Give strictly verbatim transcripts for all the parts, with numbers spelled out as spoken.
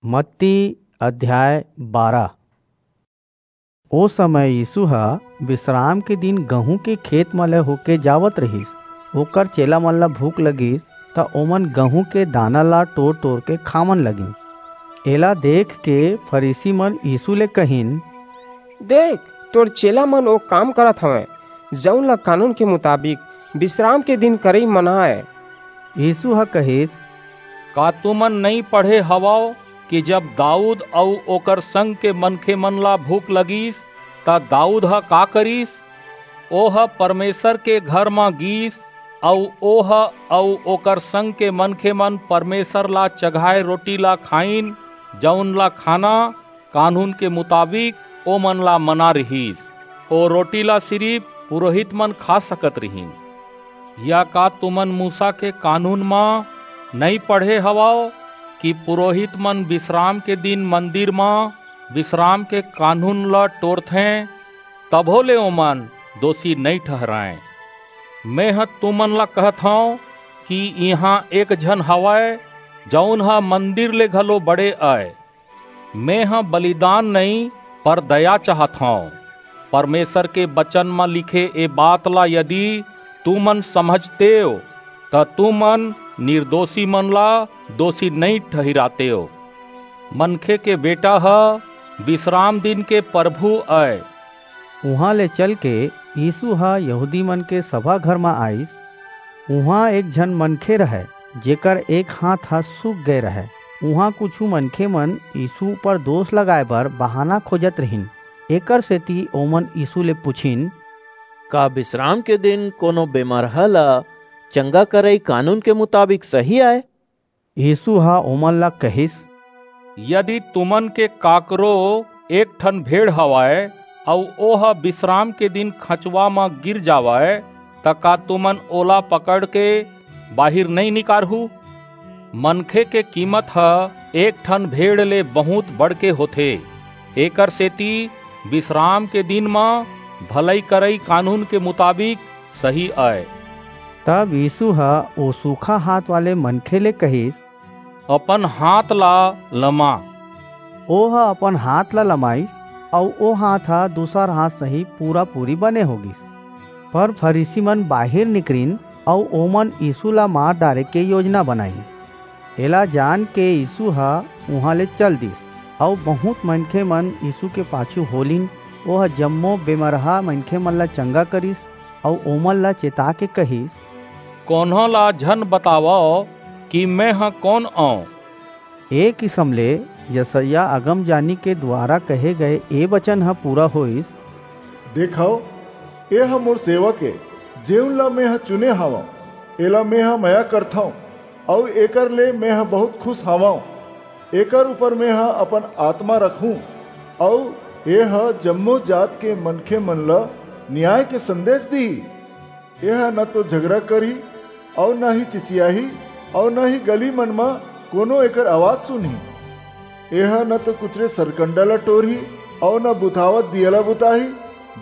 मत्ती अध्याय बारह। ओ समय यीसू ह बिसराम के दिन गहूं के खेत म ले होके जावत रिहिस। ओकर चेला मन ला भूख लगिस, त ओमन गहूं के दाना ला टोर-टोर के खावन लगिन। एला देख के फरीसी मन यीसू ले कहिन, "देख, तोर चेला मन ओ काम करत हवंय, जऊन ला कानून के मुताबिक बिसराम के दिन करई मना अय।" यीसू ह कहिस, "का तुमन नइं पढ़े हवव कि जब दाऊद अऊ ओकर संग के मनखे मन ला भूख लगिस, त दाऊद ह का करिस? ओह परमेसर के घर म गीस अऊ ओह अऊ ओकर संग के मनखे मन परमेसर ला चघाय रोटी ला खाईन, जऊन ला खाना कानून के मुताबिक ओमन ला मना रिहिस। ओ रोटी ला सिरिप पुरोहित मन खा सकत रिहिन। या का तुमन मूसा के कानून म नइं पढ़े हवव कि पुरोहित मन बिसराम के दिन मंदिर म बिसराम के कानून ला टोरथें, तभो ले ओमन दोसी नइं ठहरांय? मेंह तुमन ला कहत हंव कि इहां एक झन हवय, जऊन ह मंदिर ले घलो बड़े अय। मेंह बलिदान नइं, पर दया चाहत हंव। परमेसर के बचन म लिखे ए बात ला यदि तुमन समझतेव, त तुमन निरदोसी मन ला दोसी नइं ठहिरातेव। मनखे के बेटा ह बिसराम दिन के परभू अय।" उहां ले चलके यीसू ह यहूदी मन के सभा घर म आईस। उहां एक झन मनखे रहय, जेकर एक हांथ ह सूख गय रहय। उहां कुछू मनखे मन यीसू ऊपर दोस लगाय बर बहाना खोजत रिहिन। एकरसेति ओमन यीसू ले पुछिन, "का बिसराम के दिन कोनो बेमरहा ला चंगा करई कानून के मुताबिक सही आय?" यीसू ह ओमन ला कहिस, "यदि तुमन के काकरो एक ठन भेड़ हवय, अऊ ओह बिसराम के दिन खंचवा म गिर जावय, त का तुमन ओला पकड़के बाहिर नइं निकारहू? मनखे के कीमत ह एक ठन भेड़ ले बहुंत बढ़के होथे। एकरसेति बिसराम के दिन म भलई करई कानून के मुताबिक सही अय।" तब यीसू ह ओ सूखा हांथ वाले मनखे ले कहिस, "अपन हांथ ला लमा।" ओह अपन हांथ ला लमाईस, अऊ ओ हांथ ह दूसर हांथ सही पूरा-पूरी बने हो गीस। पर फरीसी मन बाहिर निकरिन, अऊ ओमन यीसू ला मार डारे के योजना बनाईन। एला जान के यीसू ह उहां ले चल दीस, अऊ बहुंत मनखे मन यीसू के पाछू हो लीन। ओह जम्मो बेमरहा मनखे मन ला चंगा करिस, अऊ ओमन ला चेता के कहिस, "कोनो ला झन बतावव कि मेंह कोन अंव।" ए किसम ले यसायाह अगमजानी के दुवारा कहे गय ए बचन ह पूरा होईस, "देखव, ए ह मोर सेवक ए, जेऊन ला मेंह चुने हवंव, एला मेंह मया करथंव, अऊ एकर ले मेंह बहुंत खुस हवंव। एकर ऊपर मेंह अपन आतमा रखहूं, अऊ ए ह जम्मो जात के मनखे मन ला नियाय के संदेस दिही। ए ह न तो झगरा करही, अऊ न ही चिचियाही, अऊ न ही गली मन म कोनो एकर अवाज सुनही। ए ह न तो कुचरे सरकंडा ला टोरही, अऊ न बुतावत दिया ला बुताही,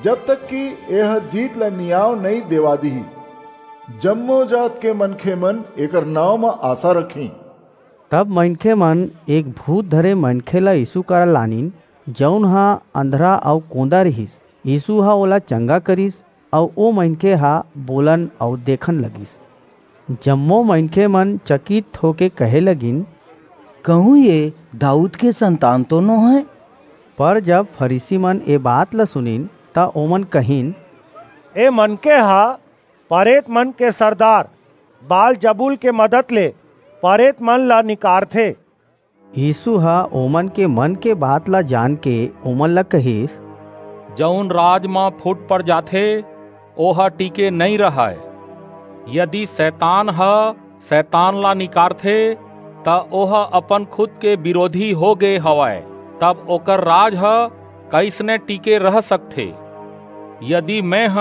जब तक कि ए ह जीत ला नियाव नइं देवा दिही। जम्मो जात के मनखे मन एकर नांव म आसा रखहीं।" तब मनखे मन एक भूत धरे मनखे ला यीसू करा लानिन, जऊन ह अंधरा अऊ कोंदा रिहिस। यीसू ह ओला चंगा करिस, अऊ ओ मनखे ह बोलन अऊ देखन लगिस। जम्मो मनखे मन चकित होके कहे लगिन, "कहूं ये दाऊद के संतान तो नोहय?" पर जब फरीसी मन ए बात ला सुनिन, त ओमन कहिन, "ए मनखे ह परेत मन के सरदार बालजबूल के मदद ले परेत मन ला निकारथे।" यीसू ह ओमन के मन के बात ला जान के ओमन ला कहिस, "जऊन राज म फूट पड़ जाथे, ओह टिके नइं रहय। यदि सैतान ह सैतान ला निकारथे, त ओह अपन खुद के बिरोधी हो गे हवय, तब ओकर राज ह कइसने टिके रह सकथे? यदि मेंह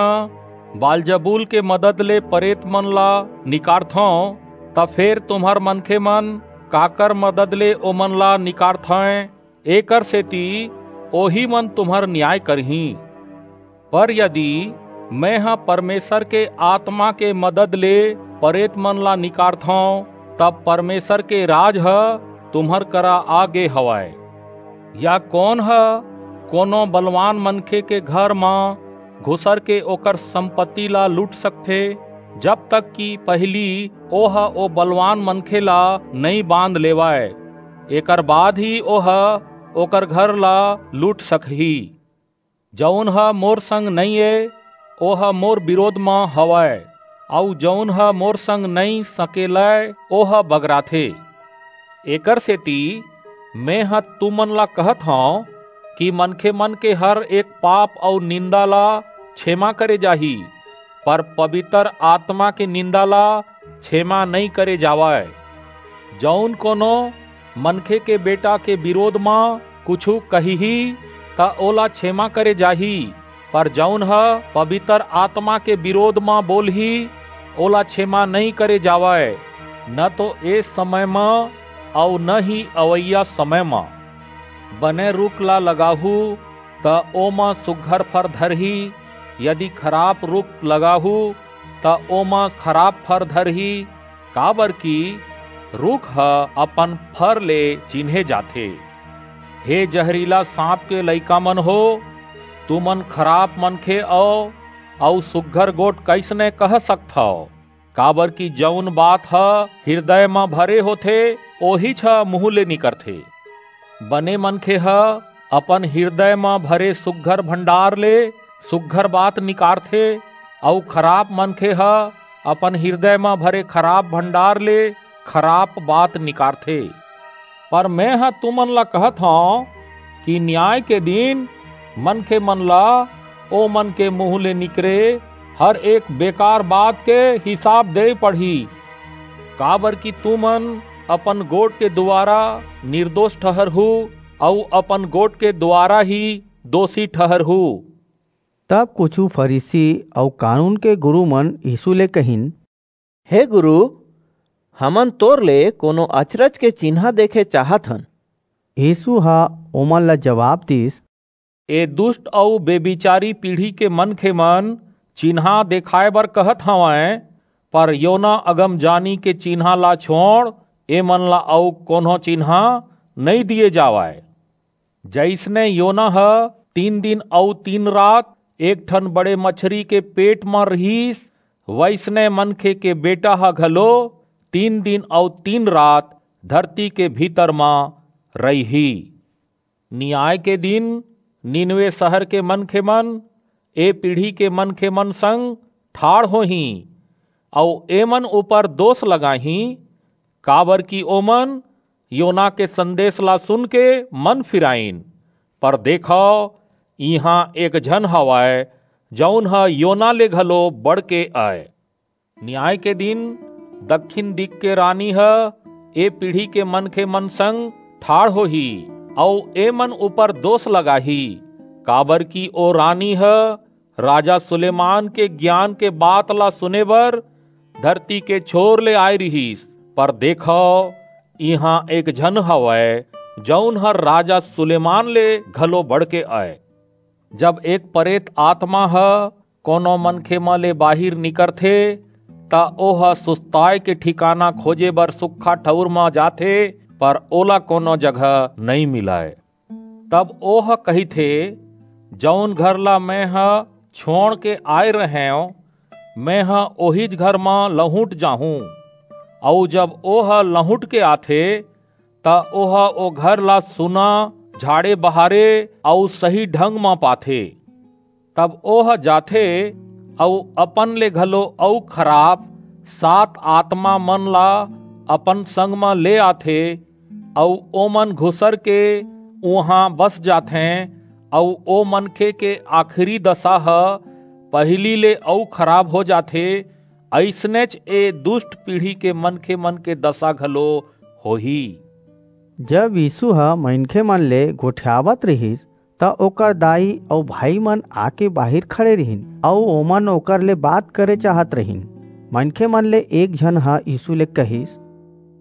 बालजबूल के मदद ले परेत मन ला निकारथंव, त फेर तुम्हर मनखे मन काकर मदद ले ओमन ला निकारथंय? एकरसेति ओही मन तुम्हर नियाय करहीं। पर यदि मेंह परमेसर के आतमा के मदद ले परेत मन ला निकारथंव, तब परमेसर के राज ह तुम्हर करा आ गे हवय। या कोन ह कोनो बलवान मनखे के घर म घुसर के ओकर संपत्ति ला लूट सकथे, जब तक कि पहिली ओह ओ बलवान मनखे ला नइं बांध लेवय? एकर बाद ही ओह ओकर घर ला लूट सकही। जऊन ह मोर संग नइं ए, ओह मोर बिरोध म हवय, अऊ जऊन ह मोर संग नइं सकेलय, ओह बगराथे। एकरसेति मेंह तुमन ला कहत हंव कि मनखेमन के हर एक पाप अऊ निंदा ला छेमा करे जाही, पर पबितर आतमा के निंदा ला छेमा नइं करे जावय। जऊन कोनो मनखे के बेटा के बिरोध म कुछू कहिही, त ओला छेमा करे जाही, पर जऊन ह पबितर आतमा के बिरोध म बोलही, ओला छेमा नइं करे जावय, न तो ए समय म अऊ न ही अवइया समय म। बने रूख ला लगाहू, त ओमा सुघर फर धरही, यदि खराप रूख लगाहू, त ओमा खराप फर धरही, काबरकि रूख ह अपन फर ले चिन्हे जाथे। हे जहरीला सांप के लइकामन हो, तुमन खराप मनखे अव, अऊ सुघर गोठ कइसने कह सकथव? काबरकि जऊन बात ह हिरदय म भरे होथे, ओहीच ह मुहूं ले निकरथे। बने मनखे ह अपन हिरदय म भरे सुघर भंडार ले सुघर बात निकारथे, अऊ खराप मनखे ह अपन हिरदय म भरे खराप भंडार ले खराप बात निकारथे। पर मेंह तुमन ला कहत हंव कि नियाय के दिन मनखेमन ला ओमन के मुहूं ले निकरे हर एक बेकार बात के हिसाब देय पड़ही, काबरकि तुमन अपन गोठ के दुवारा निरदोस ठहरहू, अऊ अपन गोठ के दुवारा ही दोसी ठहरहू। तब कुछू फरीसी अऊ कानून के गुरूमन यीसू ले कहिन, हे गुरू, हमन तोर ले कोनो अचरज के चिन्हां देखे चाहत हन। यीसू ह ओमन ला जबाब दीस, ए दुस्ट अऊ बेभिचारी पीढ़ी के मनखेमन चिन्हां देखाय बर कहत हवंय, पर योना अगमजानी के चिन्हां ला छोंड़, एमन ला अऊ कोनो चिन्हां नइं दिये जावय। जइसने योना ह तीन दिन अऊ तीन रात एक ठन बड़े मछरी के पेट म रिहिस, वइसने मनखे के बेटा ह घलो तीन दिन अऊ तीन रात धरती के भीतर म रइही। नियाय के दिन नीनवे सहर के मनखेमन ए पीढ़ी के मनखेमन संग ठाढ़ होहीं, अऊ एमन ऊपर दोस लगाहीं, काबरकि ओमन योना के संदेस ला सुनके मन फिराईन। पर देखव, इहां एक झन हवय, जऊन ह योना ले घलो बढ़के अय। नियाय के दिन दक्खिन दिग के रानी ह ए पीढ़ी के मनखेमन संग ठाढ़ होही, अऊ एमन ऊपर दोस लगाही, काबरकि ओ रानी ह राजा सुलेमान के गियान के बात ला सुने बर धरती के छोर ले आय रिहिस। पर देखव, इहां एक झन हवय, जऊन ह राजा सुलेमान ले घलो बढ़के अय। जब एक परेत आतमा ह कोनो मनखे म ले बाहिर निकरथे, त ओह सुस्ताय के ठिकाना खोजे बर सुक्खा ठऊर म जाथे, पर ओला कोनो जगह नइं मिलय। तब ओह कहिथे, जऊन घर ला मेंह छोंड़ के आय रहेंव, मेंह ओहीच घर म लहुंट जाहूं। अऊ जब ओह लहुंट के आथे, त ओह ओ घर ला सुना, झाड़े बहारे अऊ सही ढंग म पाथे। तब ओह जाथे अऊ अपन ले घलो अऊ खराप सात आतमामन ला अपन संग म ले आथे, अऊ ओमन घुसर के उहां बस जाथें, अऊ ओ मनखे के आखिरी दसा ह पहिली ले अऊ खराब हो जाथे। अइसनेच ए दुस्ट पीढ़ी के मनखेमन के दसा घलो होही। जब यीसू ह मनखेमन ले गोठियावत रिहिस, त ओकर दाई अऊ भाईमन आके बाहिर खड़े रिहिन, अऊ ओमन ओकर ले बात करे चाहत रिहिन। मनखेमन ले एक झन ह यीसू ले कहिस,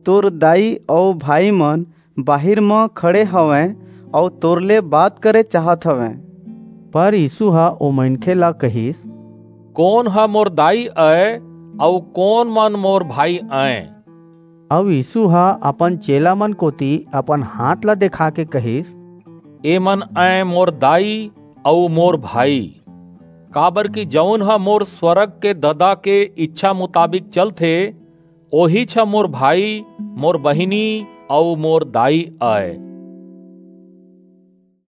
तोर दाई अऊ भाईमन बाहिर म खड़े हवंय, अऊ तोर ले बात करे चाहत हवंय। पर यीसू ह ओ मनखे ला कहिस, कोन ह मोर दाई अय, अऊ कोन मन मोर भाई अंय? अउ यीसू ह अपन चेला मन कोति अपन हाथ ला देखाके कहिस, "ए मन अंय मोर दाई अउ मोर भाई, काबरकि जऊन ह मोर स्वरग के ददा के ईछा मुताबिक चलथे, ओहीच ह मोर भाई, मोर बहिनी अउ मोर दाई अय।"